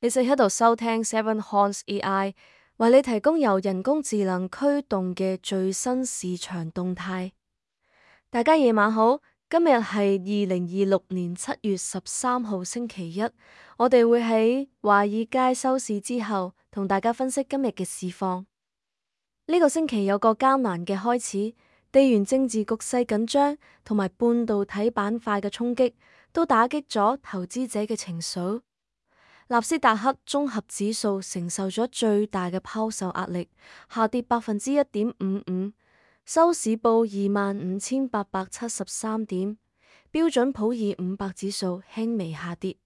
你正喺度收聽 Seven Horse AI，為你提供由人工智能驅動嘅最新市場動態。大家夜晚好，今日係2026年7月13號星期一，我哋會喺華爾街收市之後同大家分析今日嘅市況。呢個星期有個艱難嘅開始，地緣政治局勢緊張同埋半導體板塊嘅衝擊，都打擊咗投資者嘅情緒。納斯達克綜合指數承受咗最大嘅拋售壓力，下跌1.55%，收市報25,873點。標準普爾500指數輕微下跌，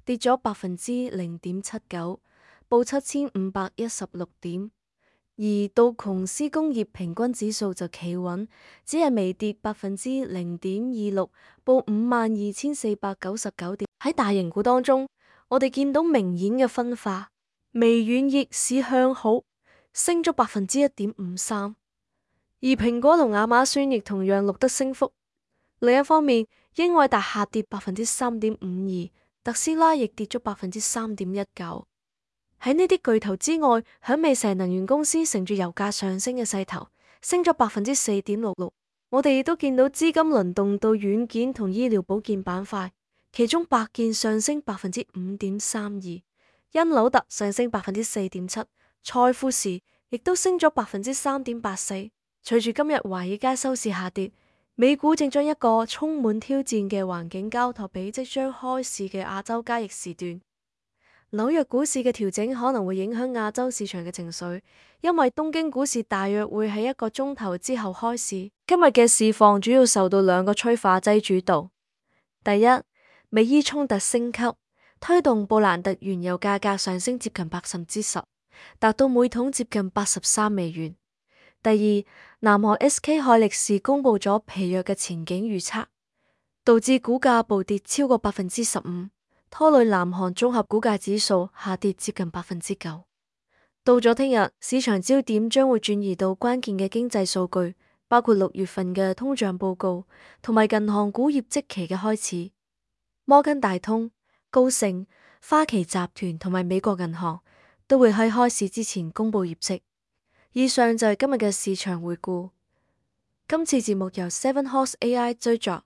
跌咗0.79%，報7,516點。而道瓊斯工業平均指數就企穩，只係微跌0.26%，報52,499點。喺大型股當中，我哋見到明顯嘅分化，微軟逆市向好，升咗1.53%，而蘋果同亞馬遜亦同樣錄得升幅。另一方面，英偉達下跌3.52%，特斯拉亦跌咗3.19%。喺呢啲巨頭之外，響尾石能源公司乘住油價上升嘅勢頭，升咗4.66%。我哋亦都見到資金輪動到軟件同醫療保健板塊。其中百健上升5.32%，因紐特上升4.7%，賽富時亦都升咗3.84%。隨住今日華爾街收市下跌，美股正將一個充滿挑戰嘅環境交託俾即將開市嘅亞洲交易時段。紐約股市嘅調整可能會影響亞洲市場嘅情緒，因為東京股市大約會喺1個鐘頭之後開市。今日嘅市況主要受到2個催化劑主導。第一，美伊衝突升級，推動布蘭特原油價格上升接近10%，達到每桶接近83美元。第二，南韓 SK 海力士公布咗疲弱嘅前景預測，導致股價暴跌超過15%，拖累南韓綜合股價指數下跌接近9%。到咗聽日，市場焦點將會轉移到關鍵嘅經濟數據，包括6月份嘅通脹報告同埋銀行股業績期嘅開始。摩根大通、高盛、花旗集團同埋美國銀行都會喺開市之前公布業績。以上就係今日嘅市場回顧。今次節目由 Seven Horse AI 製作。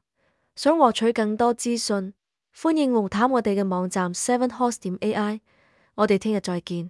想獲取更多資訊，歡迎瀏覽我哋嘅網站 7horse.ai。我哋聽日再見。